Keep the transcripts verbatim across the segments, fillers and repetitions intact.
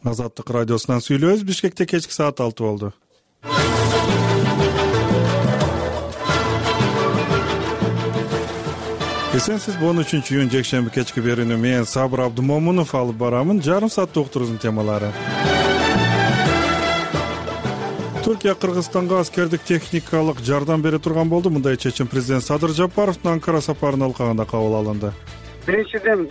Азаттык радиосунан сүйлөбүз. Бишкекте кечки саат алты болду. Эсенсиз, он үчүнчү июнь жекшемби кечки берүүнү мен Сабыр Абдымомунов алып барамын. Жарым сааттык уктуруубуздун темалары. Түркия Кыргызстанга аскердик техникалык жардам бере турган болду. Мындай чечим президент Садыр Жапаровдун Анкара сапарынын алкагында кабыл алынды. Биринчиден,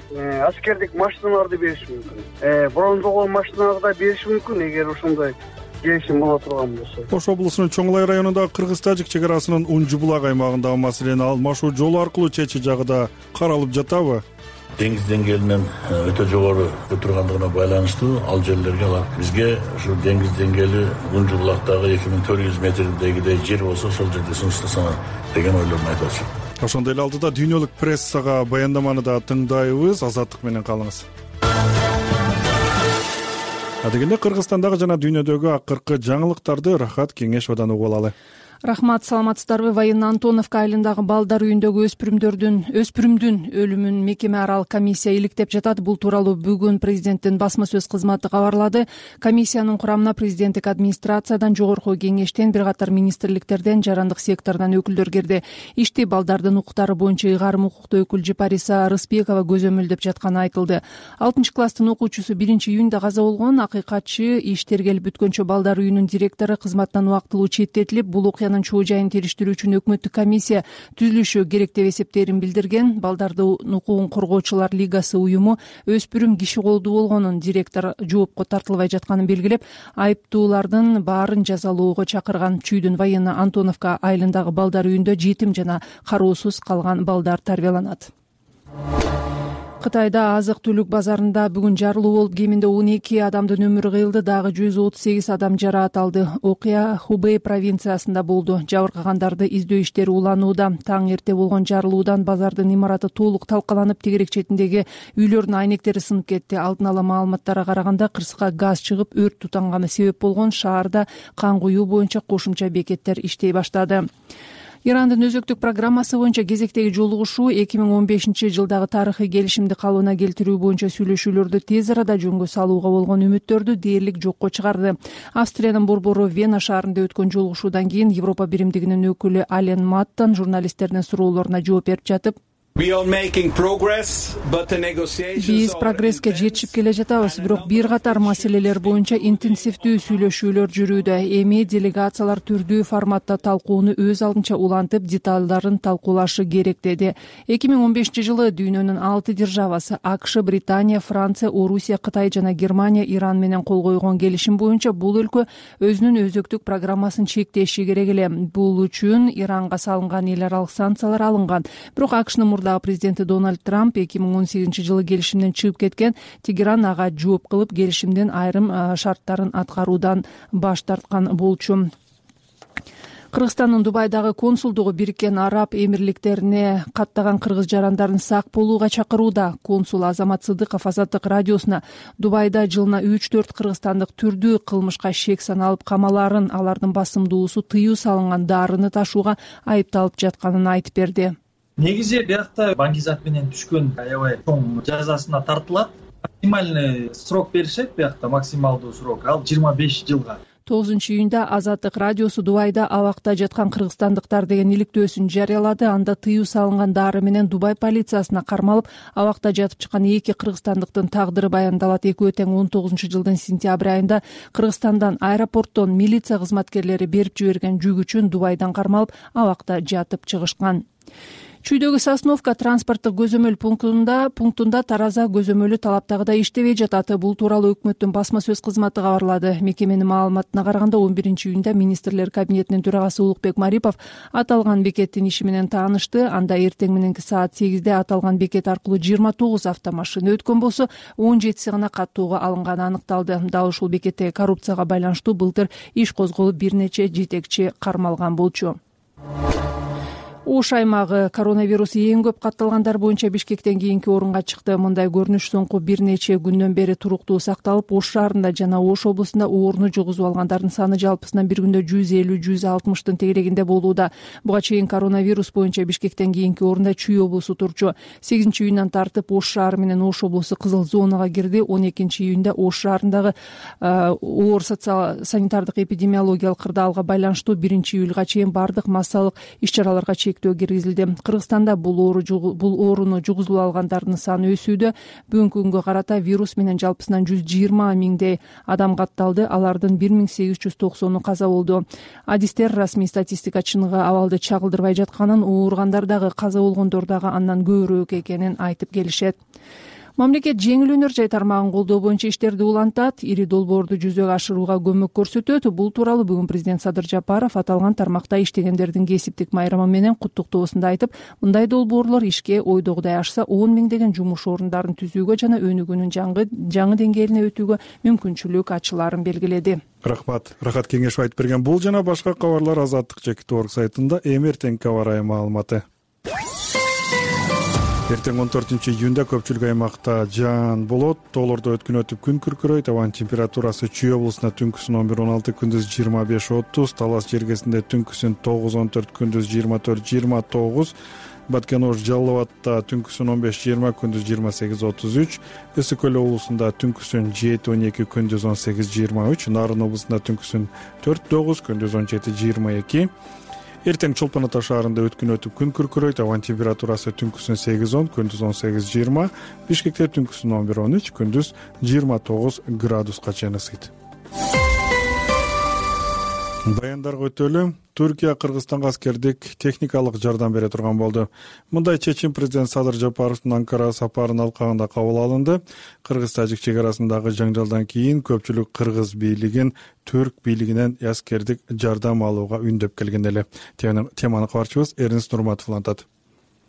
аскердик машиналарды бериш мүмкүн. Брондолгон машиналарды да бериш мүмкүн, эгер ошондой келишим боло турган болсо. Ош облусунун Чоңлай районундагы Кыргыз-Тажик чек арасынын Унжубулак аймагындагы маселени алмашуу жолу аркылуу чечүү жагы да каралып жатабы? Деңиз деңгээлинен өтө жогору тургандыгына байланыштуу ал жерлерге алар бизге ушу деңиз деңгээли Унжубулактагы эки миң төрт жүз метрдегидей жер болсо ошол жерде сунуштасаңар деген ойлорун айтып атышат. Ошондой эле алдыда дүйнөлүк прессага баяндаманы да тыңдайбыз. Азаттык менен калыңыз. Адегенде Кыргызстандагы жана дүйнөдөгү акыркы жаңылыктарды Рахат Кеңешовдон угуп алалы. Рахмат, саламатсыздарбы? Военно Антоновка айылындагы балдар үйүндөгү өспүрүмдөрдүн өспүрүмдүн өлүмүн мекеме аралык комиссия иликтеп жатат. Бул тууралуу бүгүн президенттин басма сөз кызматы кабарлады. Комиссиянын курамына президенттик администрациядан, жогорку кеңештен, бир катар министрликтерден, жарандык сектордон өкүлдөр кирди. Ишти балдардын укуктары боюнча ыйгарым укуктуу өкүл Жипариса Рыспекова көзөмөлдөп жатканы айтылды. алтынчы класстын окуучусу биринчи июнда каза болгон. Акыйкатчы иш тергелип бүткөнчө балдар үйүнүн директору кызматтан убактылуу четтетилип, бул окуянын чоо жайын териштирүү үчүн өкмөттүк комиссия түзүлүшү керек деп эсептерин билдирген. Балдардын укугун коргоочулар лигасы уюму өспүрүм киши колдуу болгонун, директор жоопко тартылбай жатканын белгилеп, айыптуулардын баарын жазалоого чакырган. Чүйдүн Военно Антоновка айылындагы балдар үйүндө жетим жана кароосуз калган балдар тарбияланат. Кытайда азык-түлүк базарында бүгүн жарылуу болуп, кеминде он эки адамдын өмүрү кыйылды, дагы жүз отуз сегиз адам жараат алды. Окуя Хубэй провинциясында болду. Жабыркагандарды издөө иштери уланууда. Таң эрте болгон жарылуудан базардын имараты толук талкаланып, тегерек четиндеги үйлөрдүн айнектери сынып кетти. Алдын ала маалыматтарга караганда, кырсыкка газ чыгып, өрт тутанганы себеп болгон. Шаарда кан куюу боюнча кошумча бекеттер иштей баштады. Ирандын өзөктүк программасы боюнча кезектеги жолугушуу эки миң он бешинчи жылдагы тарыхый келишимди калыбына келтирүү боюнча сүйлөшүүлөрдү тез арада жөнгө салууга болгон үмүттөрдү дээрлик жокко чыгарды. Австриянын борбору Вена шаарында өткөн жолугушуудан кийин Европа биримдигинин өкүлү Ален Маттан журналисттердин суроолоруна жооп берип жатып, биз прогресске жетишип келе жатабыз, бирок бир катар маселелер боюнча интенсивдүү сүйлөшүүлөр жүрүүдө. Эми делегациялар түрдүү форматта талкууну өз алдынча улантып, деталдарын талкуулашы керек, деди. эки миң он бешинчи жылы дүйнөнүн алты державасы АКШ, Британия, Франция, Орусия, Кытай жана Германия Иран менен кол койгон келишим боюнча бул өлкө өзүнүн өзөктүк программасын чектеши керек эле. Бул үчүн Иранга салынган эл аралык санкциялар алынган. Бирок АКШнын президенти Дональд Трамп эки миң он сегизинчи жылы келишимден чыгып кеткен. Тегеран ага жооп кылып, келишимдин айрым шарттарын аткаруудан баш тарткан болчу. Кыргызстандын Дубайдагы консулдугу Бириккен Араб Эмирликтерине каттаган кыргыз жарандарын сак болууга чакырууда. Консул Азамат Сыдыков Азаттык радиосуна Дубайда жылына үч төрт кыргызстандык түрдүү кылмышка шек саналып камаларын, алардын басымдуусу тыюу салынган дарыны ташууга айыпталып жатканын айтып берди. Негизи биякта баңгизат менен түшкөн аябай чоң жазасына тартылат. Максимальный срок беришет, биякта максималдуу срок ал жыйырма беш жылга. тогузунчу июнда Азаттык радиосу Дубайда абакта жаткан кыргызстандыктар деген иликтөөсүн жарыялады. Анда тыюу салынган дары менен Дубай полициясына кармалып, абакта жатып чыккан эки кыргызстандыктын тагдыры баяндалат. Экөө тең он тогузунчу жылдын сентябрь айында Кыргызстандан аэропорттон милиция кызматкерлери берип жиберген жүк үчүн Дубайдан кармалып, абакта жатып чыгышкан. Чүйдөгү Сосновка транспорттук көзөмөл пунктунда пунктунда тараза көзөмөлү талаптагыдай иштебей жатат. Бул тууралуу өкмөттүн басма сөз кызматы кабарлады. Мекеменин маалыматына караганда, он биринчи июнда министрлер кабинетинин төрагасы Улукбек Марипов аталган бекеттин иши менен таанышты. Анда эртең мененки саат сегизде аталган бекет аркылуу жыйырма тогуз автомашина өткөн болсо, он жетиси гана каттоого алынганы аныкталды. Дал ушул бекетте коррупцияга байланыштуу былтыр иш козголуп, бир нече жетекчи кармалган болчу. Ош аймагы коронавирус эң көп катталгандар боюнча Бишкектен кийинки орунга чыкты. Мындай көрүнүш соңку бир нече күндөн бери туруктуу сакталып, Ош шаарында жана Ош облусунда ооруну жугузуп алгандардын саны жалпысынан бир күндө жүз элүү жүз алтымыштын тегерегинде болууда. Буга чейин коронавирус боюнча Бишкектен кийинки орунда Чүй облусу турчу. сегизинчи июндан тартып Ош шаары менен Ош облусу кызыл зонага кирди. он экинчи июнда Ош шаарындагы оор социал санитардык эпидемиологиялык кырдаалга байланыштуу биринчи июлга чейин бардык массалык иш-чараларга киргизилди. Кыргызстанда бул оору бул ооруну жугузуп алгандардын саны өсүүдө. Бүгүнкү күнгө карата вирус менен жалпысынан жүз жыйырма миңдей адам катталды. Алардын бир миң сегиз жүз токсону каза болду. Адистер расмий статистика чыныгы абалды чагылдырбай жатканын, ооругандар дагы каза болгондор дагы андан көбүрөөк экенин айтып келишет. Мамлекет жеңил өнөр жай тармагын колдоо боюнча иштерди улантат, ири долбоорду жүзөгө ашырууга көмөк көрсөтөт. Бул тууралуу бүгүн президент Садыр Жапаров аталган тармакта иштегендердин кесиптик майрамы менен куттуктоосунда айтып, мындай долбоорлор ишке ойдогудай ашса он миңдеген жумуш орундарын түзүүгө жана өнүгүүнүн жаңы жаңы деңгээлине өтүүгө мүмкүнчүлүк ачылаарын белгиледи. Рахмат. Рахат кеңешов айтып берген бул жана башка кабарлар Азаттык жеке орг сайтында. Эми эртеңки аба ырайы маалыматы. Эртең он төртүнчү июнда көпчүлүк аймакта жаан болот. Тоолордо өткүн өтүп күн күркүрөйт. Абанын температурасы Чүй облусунда түнкүсүн он бир он алты, күндүз жыйырма беш отуз, Талас жергесинде түнкүсүн тогуз он төрт, күндүз жыйырма төрт жыйырма тогуз, Баткен-Ош Жалал абадта түнкүсүн он беш жыйырма, күндүз жыйырма сегиз отуз үч, Ысык көл облусунда түнкүсүн жети он эки, күндүз он сегиз жыйырма үч, Нарын облусунда түнкүсүн төрт тогуз, күндүз он жети жыйырма эки. Эртең Чолпон Ата шаарында өткүн өтүп күн күркүрөйт. Абанын температурасы түнкүсүн сегиз он, күндүз он сегиз жыйырма, Бишкекте түнкүсүн он бир он үч, күндүз жыйырма тогуз градуска чейин ысыйт. Баяндарга өтөлү. Түркия Кыргызстанга аскердик техникалык жардам бере турган болду. Мындай чечим президент Садыр Жапаровдун Анкара сапарынын алкагында кабыл алынды. Кыргыз-тажик чек арасындагы жаңжалдан кийин көпчүлүк кыргыз бийлигин түрк бийлигинен аскердик жардам алууга үндөп келген эле. Теманы кабарчыбыз Эрнест Нурматов улантат.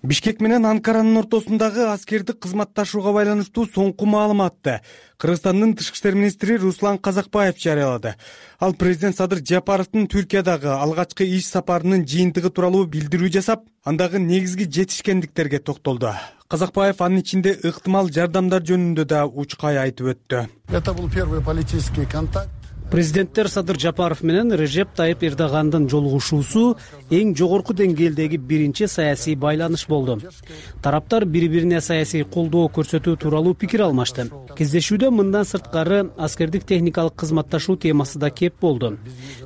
Бишкек менен Анкаранын ортосундагы аскердик кызматташууга байланыштуу соңку маалыматты Кыргызстандын тышкы иштер министри Руслан Казакбаев жарыялады. Ал президент Садыр Жапаровдун Түркиядагы алгачкы иш сапарынын жыйынтыгы тууралуу билдирүү жасап, андагы негизги жетишкендиктерге токтолду. Казакбаев анын ичинде ыктымал жардамдар жөнүндө да учкай айтып өттү. Это был первый политический контакт. Президенттер Садыр Жапаров менен Режеп Тайып Эрдогандын жолугушуусу эң жогорку деңгээлдеги биринчи саясий байланыш болду. Тараптар бири-бирине саясий колдоо көрсөтүү тууралуу пикир алмашты. Кездешүүдө мындан сырткары аскердик техникалык кызматташуу темасы да кеп болду.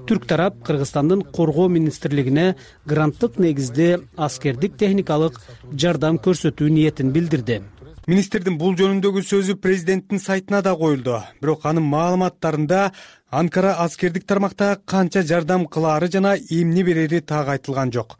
Түрк тарап Кыргызстандын коргоо министрлигине гранттык негизде аскердик техникалык жардам көрсөтүү ниетин билдирди. Министрдин бул жөнүндөгү сөзү президенттин сайтына да коюлду. Бирок анын маалыматтарында Анкара аскердик тармакта канча жардам кылаары жана эмне берери так айтылган жок.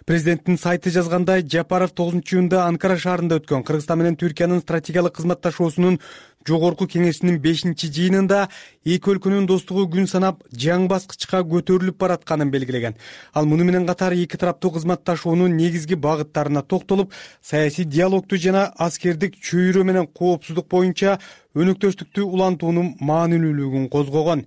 Президенттин сайты жазгандай, Жапаров тогузунчу июнда Анкара шаарында өткөн Кыргызстан менен Түркиянын стратегиялык кызматташуусунун жогорку кеңешинин бешинчи жыйынында эки өлкөнүн достугу күн санап жаңы баскычка көтөрүлүп баратканын белгилеген. Ал муну менен катар эки тараптуу кызматташуунун негизги багыттарына токтолуп, саясий диалогду жана аскердик чөйрө менен коопсуздук боюнча өнөктөштүктү улантуунун маанилүүлүгүн козгогон.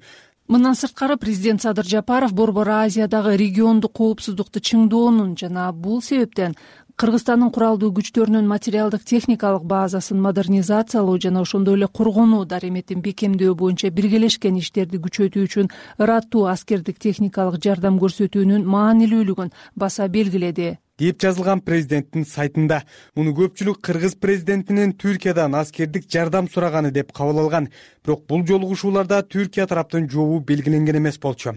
Мындан сырткары президент Садыр Жапаров Борбор Азиядагы региондук коопсуздукту чыңдоонун жана бул себептен Кыргызстандын куралдуу күчтөрүнүн материалдык техникалык базасын модернизациялоо жана ошондой эле коргонуу дареметин бекемдөө боюнча биргелешкен иштерди күчөтүү үчүн ыраттуу аскердик техникалык жардам көрсөтүүнүн маанилүүлүгүн баса белгиледи деп жазылган президенттин сайтында. Муну көпчүлүк кыргыз президентинин Түркиядан аскердик жардам сураганы деп кабыл алган. Бирок бул жолугушууларда Түркия тараптын жообу белгиленген эмес болчу.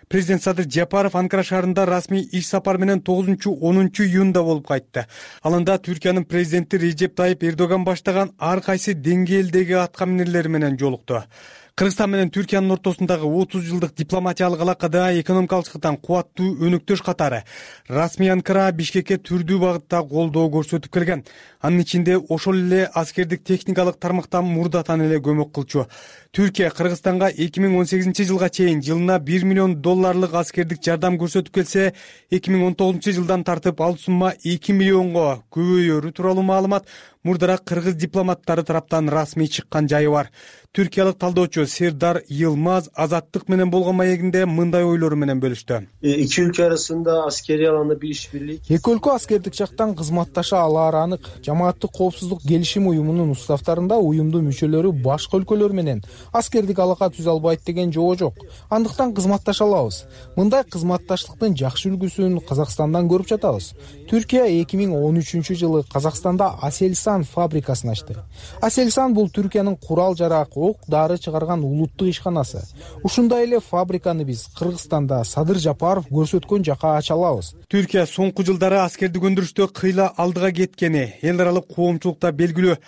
Президент Садыр Жапаров Анкара шаарында расмий иш сапар менен тогузунчу онунчу июнда болуп кайтты. Алында Түркиянын президенти Режеп Тайып Эрдоган баштаган ар кайсы деңгээлдеги атка минерлер менен жолукту. Кыргызстан менен Түркиянын ортосундагы отуз жылдык дипломатиялык алакада экономикалык жактан кубаттуу өнөктөш катары расмий Анкара Бишкекке түрдүү багытта колдоо көрсөтүп келген. Анын ичинде ошол эле аскердик техникалык тармактан мурдатан эле көмөк кылчу. Түркия Кыргызстанга эки миң он сегизинчи жылга чейин жылына бир миллион долларлык аскердик жардам көрсөтүп келсе, эки миң он тогузунчу жылдан тартып ал сумма эки миллионго көбөйөрү тууралуу маалымат мурдараак кыргыз дипломаттары тараптан расмий чыккан жайы бар. Түркиялык талдоочу Сердар Йылмаз Азаттык менен болгон маегинде мындай ойлору менен бөлүштү. Эки өлкө арасында аскерий аланда бир иш-бирлик. Эки өлкө аскердик жактан кызматташа алаары анык. Жамааттык коопсуздук келишим уюмунун уставтарында уюмдун мүчөлөрү башка өлкөлөр менен аскердик алака түзө албайт деген жобо жок. Андыктан кызматташа алабыз. Мындай кызматташтыктын жакшы үлгүсүн Казакстандан көрүп жатабыз. Түркия эки миң он үчүнчү жылы Казакстанда Aselsan фабрикасын ачты. Aselsan бул Түркиянын курал-жарак, ок-дары чыгарган улуттук ишканасы. Ушундай эле фабриканы биз Кыргызстанда Садыр Жапаров көрсөткөн жака ача алабыз. Түркия соңку жылдары аскердик өндүрүштө кыйла алдыга кеткени эл аралык коомчулукта белгилүү.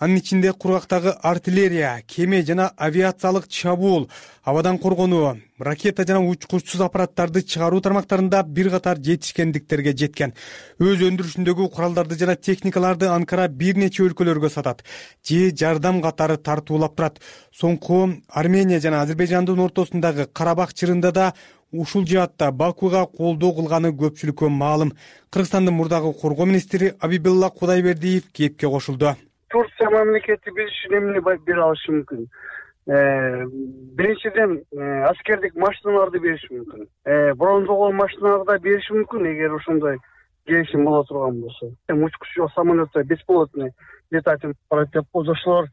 Анын ичинде кургактагы артиллерия, кеме жана авиациялык чабуул, абадан коргонуу, ракета жана учкучсуз аппараттарды чыгаруу тармактарында бир катар жетишкендиктерге жеткен. Өз өндүрүшүндөгү куралдарды жана техникаларды Анкара бир нече өлкөлөргө сатат же жардам катары тартуулап турат. Соңку Армения жана Азербайжандын ортосундагы Карабах чырында да ушул жаатта Бакуга колдоо кылганы көпчүлүккө маалым. Кыргызстандын мурдагы коргоо министри Абибилла Кудайбердиев кепке кошулду. Турция мамлекети биз үчүн эмне бере алышы мүмкүн? Биринчиден, аскердик машиналарды бериши мүмкүн. Бронзолгон машиналарды да бериши мүмкүн, эгер ошондой келишим боло турган болсо. Учкучу самолетто бесполотный летательный аппарат деп ошолор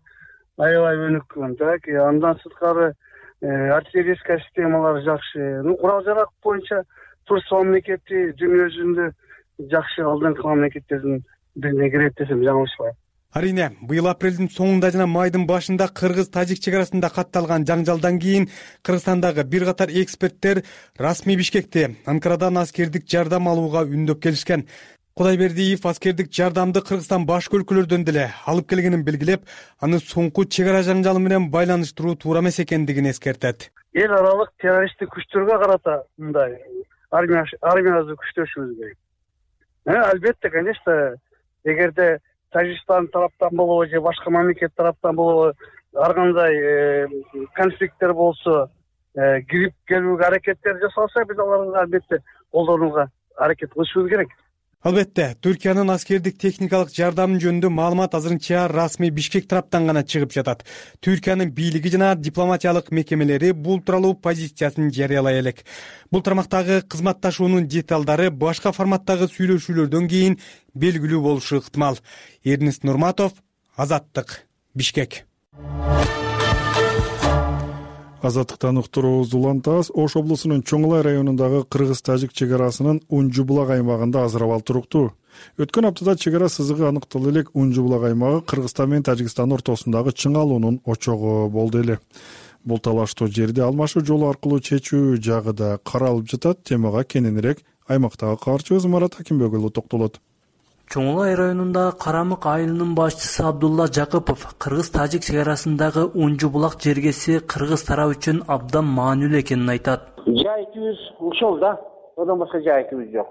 аябай өнүккөн. Так, андан сырткары артиллерийская системалар жакшы. Ну, курал-жарак боюнча Турция мамлекети дүйнө жүзүндө жакшы алдыңкы мамлекеттердин бирине кирет десем жаңылышпайм. Арине, быйыл апрелдин соңунда жана майдын башында кыргыз-тажик чек арасында катталган жаңжалдан кийин Кыргызстандагы бир катар эксперттер расмий Бишкекте Анкарадан аскердик жардам алууга үндөп келишкен. Кудайбердиев аскердик жардамды Кыргызстан башка өлкөлөрдөн деле алып келгенин белгилеп, аны соңку чек ара жаңжалы менен байланыштыруу туура эмес экендигин эскертет. Эл аралык террористтик күчтөргө карата мындай армия армиябызды күчтөшүбүз керек. Албетте, конечно, эгерде Тажикстан тараптан болобу же башка мамлекет тараптан болобу ар кандай конфликттер болсо, кирип келүүгө аракеттер жасалса, биз аларды албетте колдонууга аракет кылышыбыз керек. Албетте, Түркиянын аскердик техникалык жардамы жөнүндө маалымат азырынча расмий Бишкек тараптан гана чыгып жатат. Түркиянын бийлиги жана дипломатиялык мекемелери бул тууралуу позициясын жарыялай элек. Бул тармактагы кызматташуунун деталдары башка форматтагы сүйлөшүүлөрдөн кийин белгилүү болушу ыктымал. Эрнест Нурматов, Азаттык, Бишкек. Азаттыктан уктуруубузду улантабыз. Ош облусунун Чоңлай районундагы кыргыз-тажик чек арасынын Унжу булак аймагында азыр абал туруктуу. Өткөн аптада чек ара сызыгы аныкталып элек Унжу булак аймагы Кыргызстан менен Тажикстан ортосундагы чыңалуунун очогу болду эле. Бул талаштуу жерди алмашуу жолу аркылуу чечүү жагы да каралып жатат. Темага кененирээк аймактагы кабарчыбыз Марат Акимбекұлы токтолот. Чоңлай районунда Карамык айылынын башчысы Абдулла Жакыпов кыргыз-тажик чек арасындагы Унжу булак жергеси кыргыз тарап үчүн абдан маанилүү экенин айтат. Жайытыбыз ушул да, одан башка жайытыбыз жок.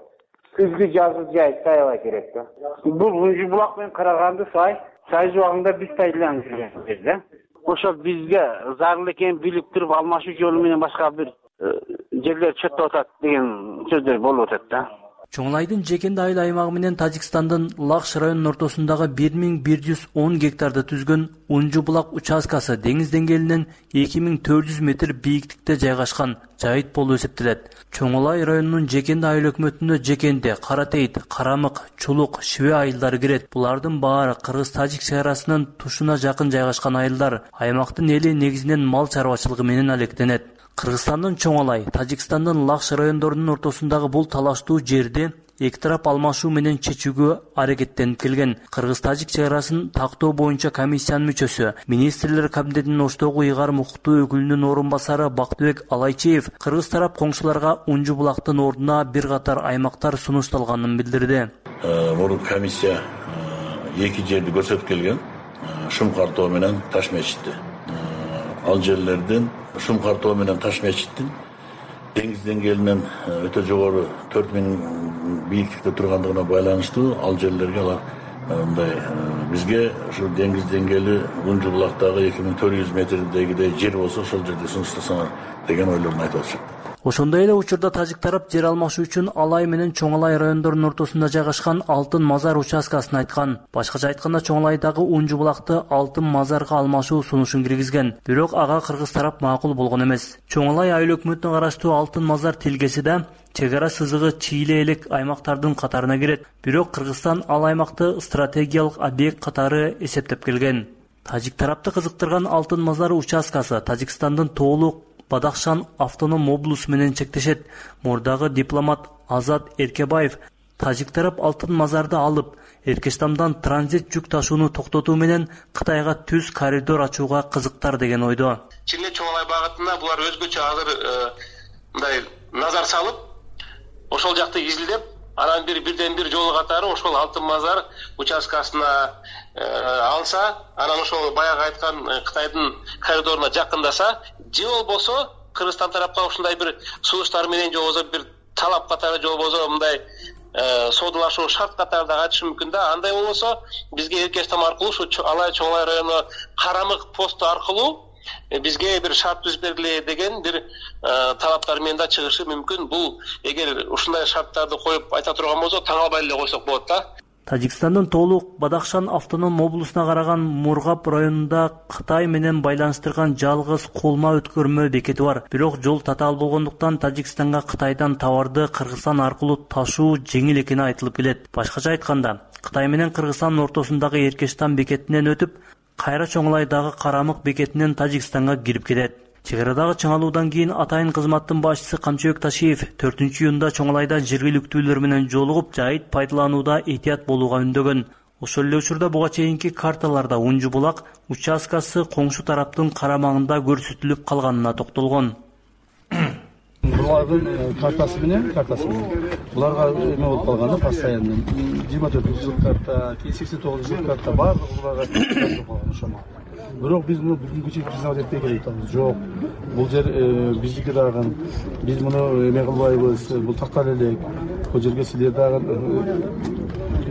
Күзгү жазгы жайыт аябай керек да. Бул Унжу булак менен Караганды сай, сай жубагында биз пайдаланып жүргөнбүз да. Ошол бизге зарыл экенин билип туруп алмашуу жолу менен башка бир жерлер чөтүп атат деген сөздөр болуп атат да. Чоңлайдын Жекенди айыл аймагы менен Тажикстандын Лакш районунун ортосундагы бир миң бир жүз он гектарды түзгөн Унжу булак участкасы деңиз деңгээлинен эки миң төрт жүз метр бийиктикте жайгашкан жайыт болуп эсептелет. Чоңлай районунун Жекенди айыл өкмөтүнө Жекенди, Каратейит, Карамык, Чулук, Шибе айылдары кирет. Булардын баары кыргыз-тажик чек арасынын тушуна жакын жайгашкан айылдар. Аймактын эли негизинен мал чарбачылыгы менен алектенет. Кыргызстандын Чоңлай, Тажикстандын Лакш райондорунун ортосундагы бул талаштуу жерди эки тарап алмашуу менен чечүүгө аракеттенип келген. Кыргыз-тажик чек арасын тактоо боюнча комиссиянын мүчөсү, министрлер кабинетинин Оштогу ыйгарым укуктуу өкүлүнүн орун басары Бактыбек Алайчиев кыргыз тарап коңшуларга Унжу булактын ордуна бир катар аймактар сунушталганын билдирди. Мурун комиссия эки жерди көрсөтүп келген. Шум картоо менен Таш мечити. Ал жерлерден Шум картоо менен Таш мечиттин деңиз деңгээлинен өтө жогору төрт миң бийиктикте тургандыгына байланыштуу ал жерлерге алар мындай бизге ушу деңиз деңгээли Унжу булактагы эки миң төрт жүз метрдегидей жер болсо ошол жерде сунуштасаңар деген ойлорун айтып атышат. Ошондой эле учурда тажик тарап жер алмашуу үчүн Алай менен Чоң Алай райондорунун ортосунда жайгашкан Алтын Мазар участкасын айткан. Башкача айтканда Чоң Алайдагы Унжу булакты Алтын Мазарга алмашуу сунушун киргизген. Бирок ага кыргыз тарап макул болгон эмес. Чоң Алай айыл өкмөтүнө караштуу Алтын Мазар тилгеси да чек ара сызыгы чийле элек аймактардын катарына кирет. Бирок Кыргызстан ал аймакты стратегиялык объект катары эсептеп келген. Тажик тарапты кызыктырган Алтын Мазар участкасы Тажикстандын Тоолук Бадахшан автоном облусу менен чектешет. Мурдагы дипломат Азат Эркебаев тажик тарап Алтын Мазарды алып, Эркештамдан транзит жүк ташууну токтотуу менен Кытайга түз коридор ачууга кызыктар деген ойдо. Чын эле Чоң Алай багытында булар өзгөчө азыр мындай назар салып, ошол жакты изилдеп, анан бир бирден бир жол катары ошол Алтын Мазар участкасына алса, анан ошол баягы айткан Кытайдын коридоруна жакындаса, же болбосо Кыргызстан тарапка ушундай бир сунуштар менен же болбосо бир талап катары же болбосо мындай соодалашуу шарт катары да айтышы мүмкүн да. Андай болбосо бизге Эркештам аркылуу ушу Алай Чоң Алай району карамык посту аркылуу бизге бир шарт түзүп бергиле деген бир талаптар менен да чыгышы мүмкүн. Бул эгер ушундай шарттарды коюп айта турган болсо таң албай эле койсок болот да. Тажикстандын Тоолук Бадахшан автоном облусуна караган Мургап районунда Кытай менен байланыштырган жалгыз колма өткөрмө бекети бар. Бирок жол татаал болгондуктан Тажикстанга Кытайдан товарды Кыргызстан аркылуу ташуу жеңил экени айтылып келет. Башкача айтканда, Кытай менен Кыргызстандын ортосундагы Эркештам бекетинен өтүп, кайра Чоң Алайдагы Карамык бекетинен Тажикстанга кирип кетет. Чек арадагы чыңалуудан кийин атайын кызматтын башчысы Камчыбек Ташиев төртүнчү июнда Чоң Алайда жергиликтүүлөр менен жолугуп, жайыт пайдаланууда этият болууга үндөгөн. Ошол эле учурда буга чейинки карталарда Унжу булак участкасы коңшу тараптын карамагында көрсөтүлүп калганына токтолгон. Булардын картасы менен, картасы менен буларга эме болуп калганда постоянно жыйырма төртүнчү жыл карта, сексен тогузунчу жыл карта баардыгы буларга калган ошомо. Бирок биз муну бүгүнкү чейин признавать этпей келатабыз. Жок, бул жер биздики дагы. Биз муну эме кылбайбыз, бул тактал элек. Бул жерге силер дагы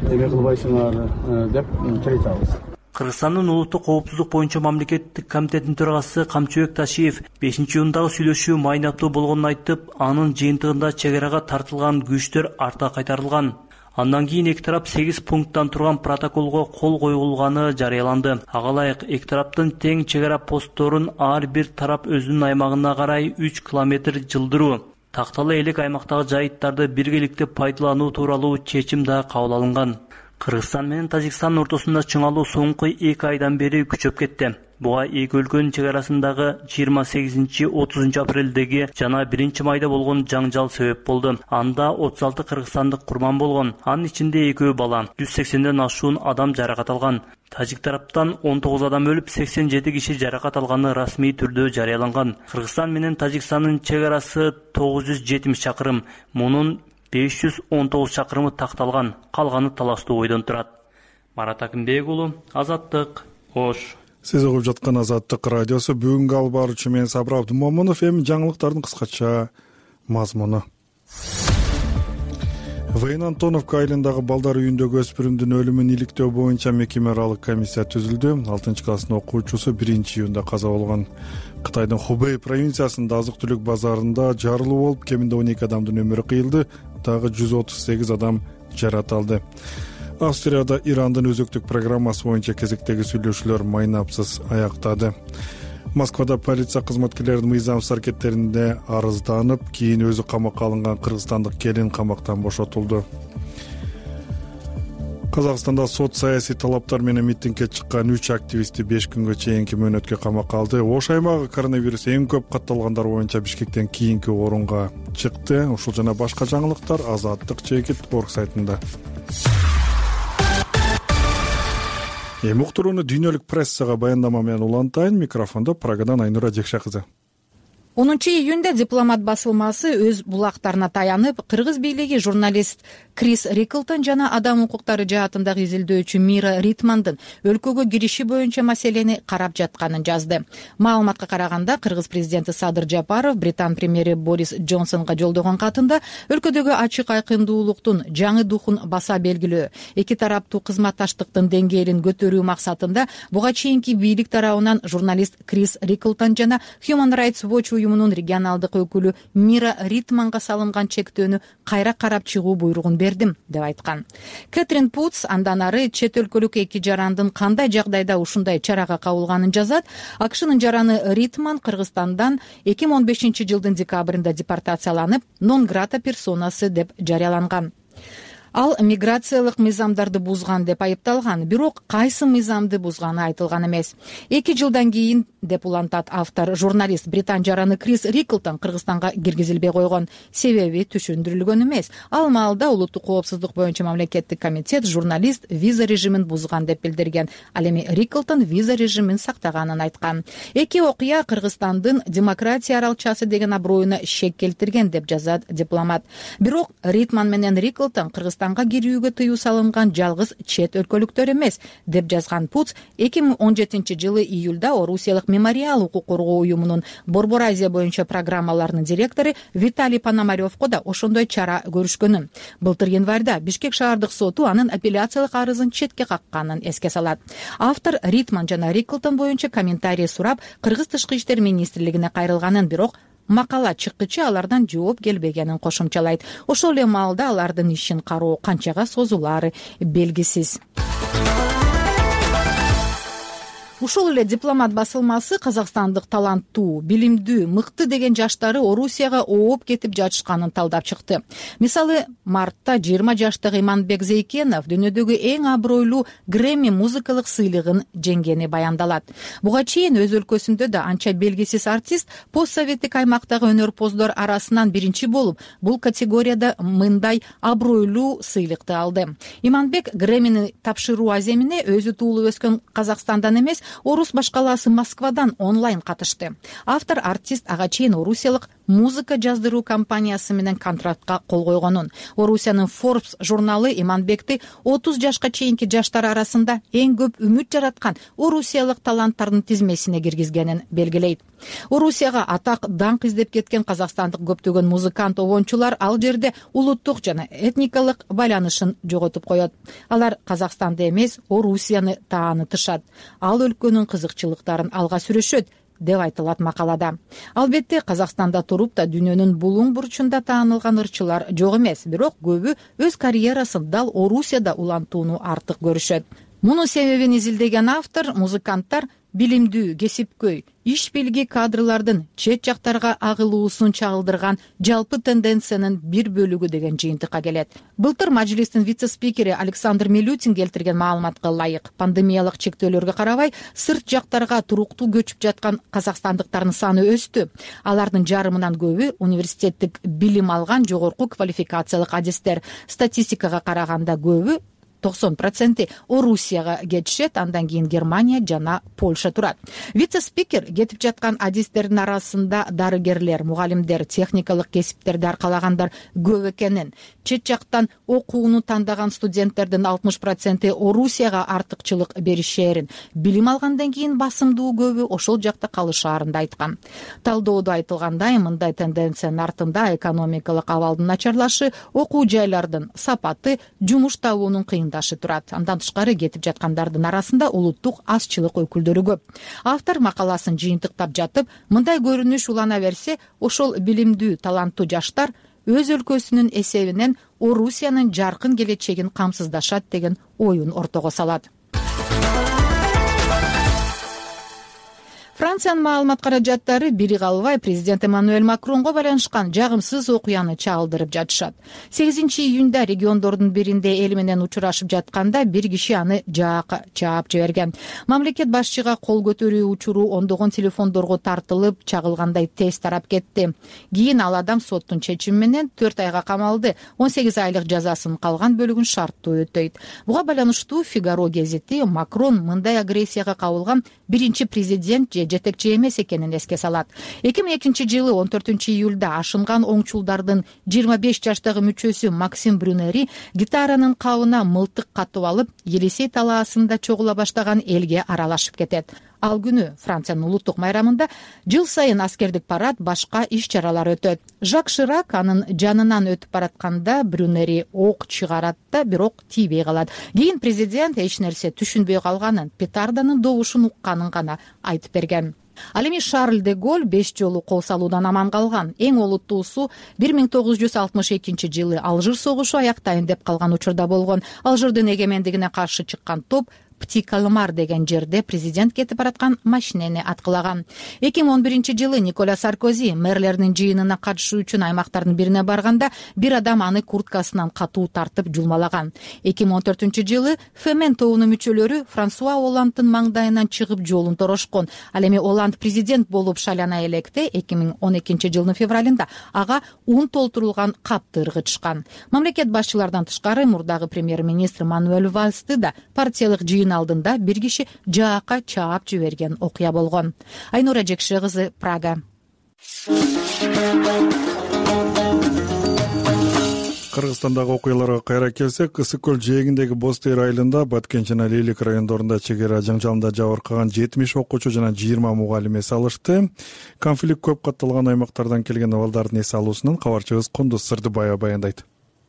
эме кылбайсыңар деп келатабыз. Кыргызстандын улуттук коопсуздук боюнча мамлекеттик комитетинин төрагасы Камчыбек Ташиев бешинчи июндагы сүйлөшүү майнаттуу болгонун айтып, анын жыйынтыгында чек арага тартылган күчтөр арта кайтарылган. Андан кийин эки тарап сегиз пункттан турган протоколго кол коюлганы жарыяланды. Ага ылайык эки тараптын тең чек ара постторун ар бир тарап өзүнүн аймагына карай үч километр жылдыруу, такталы элек аймактагы жайыттарды биргеликте пайдалануу тууралуу чечим да кабыл алынган. Кыргызстан менен Тажикстандын ортосунда чыңалуу соңку эки айдан бери күчөп кетти. Буга эки өлкөнүн чек арасындагы жыйырма сегизинчи отузунчу апрелдеги жана биринчи майда болгон жаңжал себеп болду. Анда отуз алты кыргызстандык курман болгон. Анын ичинде экөө бала, жүз сексенден ашуун адам жаракат алган. Тажик тараптан он тогуз адам өлүп, сексен жети киши жаракат алганы расмий түрдө жарыяланган. Кыргызстан менен Тажикстандын чек арасы тогуз жүз жетимиш чакырым. Мунун беш жүз он тогуз чакырымы такталган, калганы талаштуу ойдон турат. Марат Акимбек уулу, Азаттык, Ош. Сиз угуп жаткан Азаттык радиосу. Бүгүнкү алып баруучу мен Сабыр Абдымомунов. Эми жаңылыктардын кыскача мазмуну. Вейн Антоновка айылындагы балдар үйүндөгү өспүрүмдүн өлүмүн иликтөө боюнча мекеме аралык комиссия түзүлдү. алтынчы класстын окуучусу биринчи июнда каза болгон. Кытайдын Хубэй провинциясында азык-түлүк базарында жарылуу болуп, кеминде он эки адамдын өмүрү кыйылды, дагы жүз отуз сегиз адам жаракат алды. Австрияда Ирандын өзөктүк программасы боюнча кезектеги сүйлөшүүлөр майнапсыз аяктады. Москвада полиция кызматкерлеринин мыйзамсыз аракеттерине арызданып, кийин өзү камакка алынган кыргызстандык келин камактан бошотулду. Казакстанда сот саясий талаптар менен митингге чыккан үч активистти беш күнгө чейинки мөөнөткө камакка алды. Ош аймагы коронавирус эң көп катталгандар боюнча Бишкектен кийинки орунга чыкты. Ушул жана башка жаңылыктар Азаттык чекит орг сайтында. Эми уктурууну дүйнөлүк прессага баяндама менен улантайын. Микрофондо Прагадан Айнура Жекша кызы. онунчу июнда дипломат басылмасы өз булактарына таянып, кыргыз бийлиги журналист Крис Риклтон жана адам укуктары жаатындагы изилдөөчү Мира Ритмандын өлкөгө кириши боюнча маселени карап жатканын жазды. Маалыматка караганда, кыргыз президенти Садыр Жапаров Британ премьери Борис Джонсонго жолдогон катында өлкөдөгү ачык айкындуулуктун жаңы духун баса белгилөө, эки тараптуу кызматташтыктын деңгээлин көтөрүү максатында буга чейинки бийлик тарабынан журналист Крис Риклтон жана Human Rights Watch уюмунун регионалдык өкүлү Мира Ритманга салынган чектөөнү кайра карап чыгуу буйругун бердим деп айткан. Кэтрин Путс андан ары чет өлкөлүк эки жарандын кандай жагдайда ушундай чарага кабылганын жазат. АКШнын жараны Ритман Кыргызстандан эки миң он бешинчи жылдын декабрында депортацияланып, нон грата персонасы деп жарыяланган. Ал миграциялык мыйзамдарды бузган деп айыпталган, бирок кайсы мыйзамды бузганы айтылган эмес. Эки жылдан кийин, деп улантат автор, журналист британ жараны Крис Риклтон Кыргызстанга киргизилбей койгон. Себеби түшүндүрүлгөн эмес. Ал маалда улуттук коопсуздук боюнча мамлекеттик комитет журналист виза режимин бузган деп билдирген. Ал эми Риклтон виза режимин сактаганын айткан. Эки окуя Кыргызстандын демократия аралчасы деген аброюна шек келтирген деп жазат дипломат. Бирок Ритман менен Риклтон Кыргызстанга кирүүгө тыюу салынган жалгыз чет өлкөлүктөр эмес, деп жазган Путс эки миң он жетинчи жылы июлда Орусиялык мемориал укук коргоо уюмунун Борбор Азия боюнча программаларынын директору Виталий Пономаревко да ошондой чара көрүшкөнүн. Былтыр январда Бишкек шаардык соту анын апелляциялык арызын четке какканын эске салат. Автор Ритман жана Риклтон боюнча комментарий сурап, Кыргыз тышкы иштер министрлигине кайрылганын, бирок макала чыккычы алардан жооп келбегенин кошумчалайт. Ошол эле маалда алардын ишин кароо канчага созулаары белгисиз. Ушул эле дипломат басылмасы казакстандык таланттуу, билимдүү, мыкты деген жаштары Орусияга ооп кетип жатышканын талдап чыкты. Мисалы, мартта жыйырма жаштагы Иманбек Зейкенов дүйнөдөгү эң абройлуу Грэмми музыкалык сыйлыгын жеңгени баяндалат. Буга чейин өз өлкөсүндө да анча белгисиз артист постсоветтик аймактагы өнөрпоздор арасынан биринчи болуп, бул категорияда мындай абройлуу сыйлыкты алды. Иманбек Грэммини тапшыруу аземине өзү туулуп өскөн Казакстандан эмес, Орус башкаласы Москвадан онлайн катышты. Автор артист ага чейин орусиялык музыка жаздыруу компаниясы менен контрактка кол койгонун. Орусиянын Forbes журналы Иманбекти отуз жашка чейинки жаштар арасында эң көп үмүт жараткан орусиялык таланттардын тизмесине киргизгенин белгилейт. Орусияга атак даңк издеп кеткен казакстандык көптөгөн музыкант обончулар ал жерде улуттук жана этникалык байланышын жоготуп коет. Алар Казакстанды эмес, Орусияны таанытышат. Ал өлкөнүн кызыкчылыктарын алга сүрөшөт, деп айтылат макалада. Албетте, Казакстанда туруп да дүйнөнүн булуң бурчунда таанылган ырчылар жок эмес, бирок көбү өз карьерасын дал Орусияда улантууну артык көрүшөт. Мунун себебин изилдеген автор, музыканттар билимдүү, кесипкөй, иш билги кадрлардын чет жактарга агылуусун чагылдырган жалпы тенденциянын бир бөлүгү деген жыйынтыкка келет. Былтыр мажлистин вице-спикери Александр Милютин келтирген маалыматка ылайык, пандемиялык чектөөлөргө карабай сырт жактарга туруктуу көчүп жаткан казакстандыктардын саны өстү. Алардын жарымынан көбү университеттик билим алган жогорку квалификациялык адистер. Статистикага караганда көбү токсон проценти Орусияга кетишет, андан кийин Германия жана Польша турат. Вице-спикер кетип жаткан адистердин арасында дарыгерлер, мугалимдер, техникалык кесиптерди аркалагандар көп экенин, чет жактан окууну тандаган студенттердин алтымыш проценти Орусияга артыкчылык беришээрин, билим алгандан кийин басымдуу көбү ошол жакта калышаарын да айткан. Талдоодо айтылгандай, мындай тенденциянын артында экономикалык абалдын начарлашы, окуу жайлардын сапаты, жумуш табуунун кыйын турат. Андан тышкары кетип жаткандардын арасында улуттук азчылык өкүлдөрү көп. Автор макаласын жыйынтыктап жатып, мындай көрүнүш улана берсе, ошол билимдүү, таланттуу жаштар өз өлкөсүнүн эсебинен Орусиянын жаркын келечегин камсыздашат деген оюн ортого салат. Франциянын маалымат каражаттары бири калбай президент Эммануэль Макронго байланышкан жагымсыз окуяны чагылдырып жатышат. сегизинчи июнда региондордун биринде эл менен учурашып жатканда бир киши аны жаакка чаап жиберген. Мамлекет башчыга кол көтөрүү учуру ондогон телефондорго тартылып, чагылгандай тез тарап кетти. Кийин ал адам соттун чечими менен төрт айга камалды, он сегиз айлык жазасынын калган бөлүгүн шарттуу өтөйт. Буга байланыштуу Фигаро гезити Макрон мындай агрессияга кабылган биринчи президент же жетекчи эмес экенин эске салат. эки миң экинчи жылы он төртүнчү июлда ашынган оңчулдардын жыйырма беш жаштагы мүчөсү Максим Брюнери гитаранын кабына мылтык катып алып, Елисей талаасында чогула баштаган элге аралашып кетет. Ал күнү Франциянын улуттук майрамында жыл сайын аскердик парад, башка иш-чаралар өтөт. Жак Ширак анын жанынан өтүп баратканда Брюнери ок чыгарат да, бирок тийбей калат. Кийин президент эч нерсе түшүнбөй калганын, петарданын добушун укканын гана айтып берген. Ал эми Шарль де Голль беш жолу кол салуудан аман калган. Эң олуттуусу бир миң тогуз жүз алтымыш экинчи жылы Алжир согушу аяктайын деп калган учурда болгон. Алжирдин эгемендигине каршы чыккан топ Птикалмар деген жерде президент кетип бараткан машинени аткылаган. эки миң он биринчи жылы Николя Саркози мэрлердин жыйынына катышуу үчүн аймактардын бирине барганда бир адам аны курткасынан катуу тартып жулмалаган. эки миң он төртүнчү жылы Фемен тобунун мүчөлөрү Франсуа Оланддын маңдайынан чыгып жолун торошкон. Ал эми Оланд президент болуп шайлана электе эки миң он экинчи жылдын февралында ага ун толтурулган капты ыргытышкан. Мамлекет башчылардан тышкары мурдагы премьер-министр Мануэль Вальсты да партиялык жыйын алдында бир киши жаакка чаап жиберген окуя болгон. Айнура Жекше кызы, Прага. Кыргызстандагы окуяларга кайра келсек, Ысык көл жээгиндеги Боз Тери айылында Баткен жана Лейлик райондорунда чегара жаңжалында жабыркаган жетимиш окуучу жана жыйырма мугалим эс алышты. Конфликт көп катталган аймактардан келген балдардын эс алуусунан кабарчыбыз Кундуз Сырдыбаева баяндайт.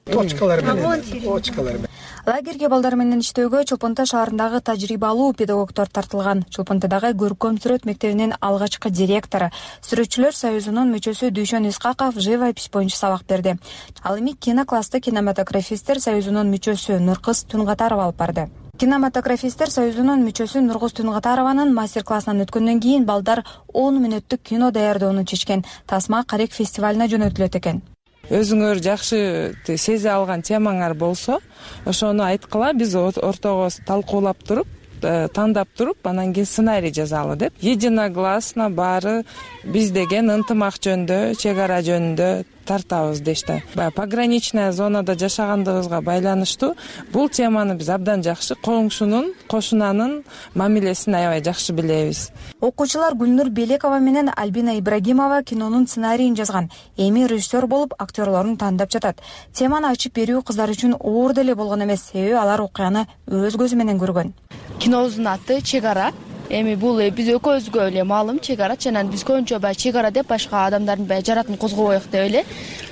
Точкалар менен, точкалар менен. Лагерге балдар менен иштөөгө Чолпон Ата шаарындагы тажрыйбалуу педагогдор тартылган. Чолпон Атадагы көркөм сүрөт мектебинин алгачкы директору, Сүрөтчүлөр союзунун мүчөсү Дүйшөн Искаков живопись боюнча сабак берди. Ал эми киноклассты кинематографисттер союзунун мүчөсү Нуркыз Тунгатарова алып барды. Кинематографисттер союзунун мүчөсү Нуркыз Тунгатарованын мастер-классынан өткөндөн кийин балдар он мүнөттүк кино даярдоону чечкен. Тасма Карек фестивалына жөнөтүлөт экен. Өзүңөр жакшы сезе алган темаңар болсо, ошону айткыла, биз ортого талкуулап туруп, тандап туруп, анан кийин сценарий жазалы деп. Единогласно баары биз деген ынтымак жөнүндө, чек ара жөнүндө тартабыз дешти. Баягы пограничная зонада жашагандыгыбызга байланыштуу бул теманы биз абдан жакшы коңшунун, кошунанын мамилесин аябай жакшы билебиз. Окуучулар Гүлнур Белекова менен Альбина Ибрагимова кинонун сценарийин жазган. Эми режиссер болуп актерлорун тандап жатат. Теманы ачып берүү кыздар үчүн оор деле болгон эмес, себеби алар окуяны өз көзү менен көргөн. Кинобуздун аты Чек ара. Эми бул биз экөөбүзгө эле маалым чек ара, жана биз көбүнчө баягы чек ара деп башка адамдардын баягы жаратын козгобоек деп эле.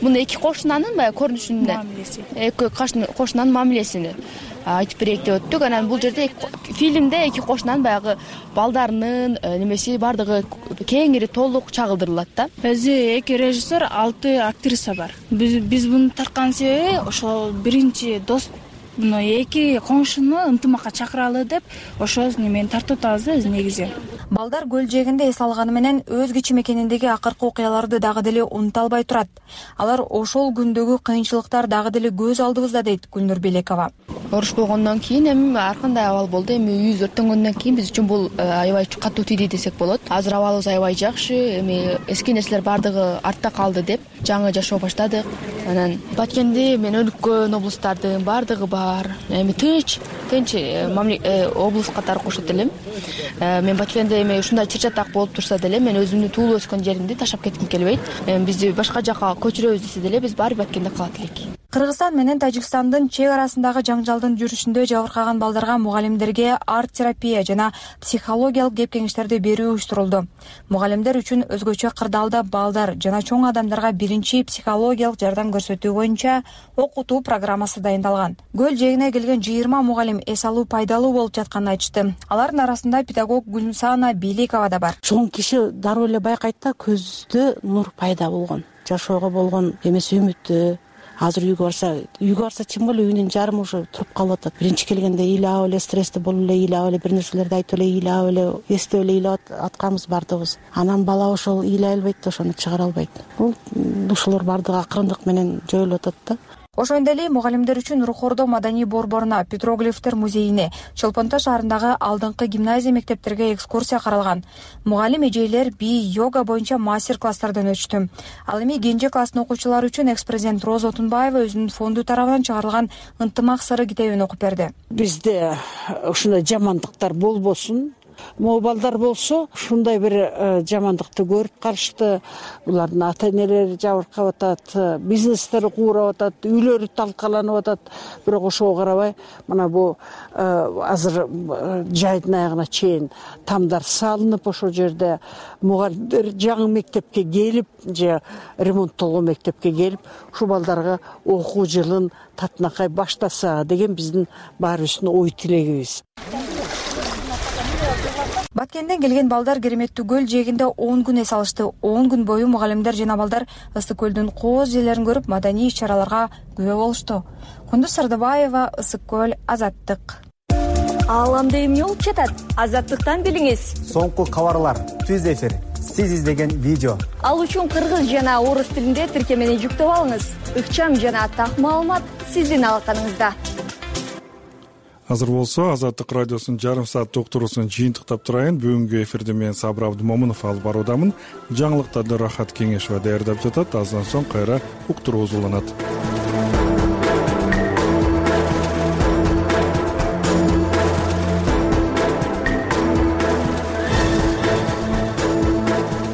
Муну эки кошунанын баягы көрүнүшүнүн мамилеси. Эки кошунанын мамилесин айтып берейик деп өттүк. Анан бул жерде фильмде эки кошунанын баягы балдарынын немеси бардыгы кеңири толук чагылдырылат да. Өзү эки режиссер, алты актриса бар. Биз биз буну тарткан себеби ошол биринчи дос мына эки коңшуну ынтымакка чакыралы деп ошо немени тартып атабыз да биз негизи. Балдар көл жээгинде эс алганы менен өз кичи мекениндеги акыркы окуяларды дагы деле унута албай турат. Алар ошол күндөгү кыйынчылыктар дагы деле көз алдыбызда дейт Гүлнур Белекова. Оруш болгондон кийин эми ар кандай абал болду. Эми үйүбүз өрттөнгөндөн кийин биз үчүн бул аябай катуу тийди десек болот. Азыр абалыбыз аябай жакшы. Эми эски нерселер бардыгы артта калды деп жаңы жашоо баштадык. Анан Баткенди мен өлкөн облустардын бардыгы бар. Эми тынч, тынч облус катары кошот элем. Мен Баткенде эми ушундай чыр-чатак болуп турса деле мен өзүмдүн туулуп өскөн жеримди таштап кетким келбейт. Бизди башка жака көчүрөбүз десе деле биз баары Баткенде калат элек. Кыргызстан менен Тажикстандын чек арасындагы жаңжалдын жүрүшүндө жабыркаган балдарга мугалимдерге арт терапия жана психологиялык кеп кеңештерди берүү уюштурулду. Мугалимдер үчүн өзгөчө кырдаалда балдар жана чоң адамдарга биринчи психологиялык жардам көрсөтүү боюнча окутуу программасы дайындалган. Көл жээгине келген жыйырма мугалим эс алуу пайдалуу болуп жатканын айтышты. Алардын арасында педагог Гүлмсана Беликова да бар. Чоң киши дароо эле байкайт да, көздө нур пайда болгон, жашоого болгон эмес үмүтү. Азыр үйгө барса, үйгө барса тем более үйүнүн жарымы уже туруп калып атат. Биринчи келгенде ыйлап эле, стрессте болуп эле ыйлап эле, бир нерселерди айтып эле ыйлап эле, эстеп эле ыйлап атканбыз бардыгыбыз. Анан бала ошол ыйлай албайт да, ошону чыгара албайт. Бул ушулар бардыгы акырындык менен жоюлуп атат да. Ошондой эле мугалимдер үчүн Рухордо маданий борборуна, Петроглифтер музейине, Чолпон Ата шаарындагы алдыңкы гимназия мектептерге экскурсия каралган. Мугалим эжейлер би йога боюнча мастер-класстардан өтүштү. Ал эми кенже класстын окуучулары үчүн экс-президент Роза Отунбаева өзүнүн фонду тарабынан чыгарылган Ынтымак сыры китебин окуп берди. Бизде ушундай жамандыктар болбосун. Могу балдар болсо ушундай бир жамандыкты көрүп калышты. Булардын ата-энелери жабыркап атат, бизнестери куурап атат, үйлөрү талкаланып атат. Бирок ошого карабай, мына бу азыр жайдын аягына чейин тамдар салынып, ошол жерде мугалимдер жаңы мектепке келип, же ремонттолгон мектепке келип, ушу балдарга окуу жылын татынакай баштаса деген биздин баарыбыздын ой тилегибиз. Баткенден келген балдар Кереметтүү көл жээгинде он күн эс алышты. он күн бою мугалимдер жана балдар Ысык көлдүн кооз жээлерин көрүп, маданий иш-чараларга күбө болушту. Кундуз Сардыбаева, Ысык көл, Азаттык. Ааламда эмне болуп жатат? Азаттыктан билиңиз. Соңку кабарлар, түз эфир, сиз издеген видео. Ал үчүн кыргыз жана орус тилинде тиркемени жүктөп алыңыз. Ыкчам жана так маалымат сиздин алаканыңызда. Азыр болсо Азаттык радиосунун жарым саат уктуруусун жыйынтыктап турайын. Бүгүнкү эфирди мен Сабыр Абдымомунов алып баруудамын. Жаңылыктарды Рахат Кеңешова даярдап жатат. Аздан соң кайра уктуруубуз уланат.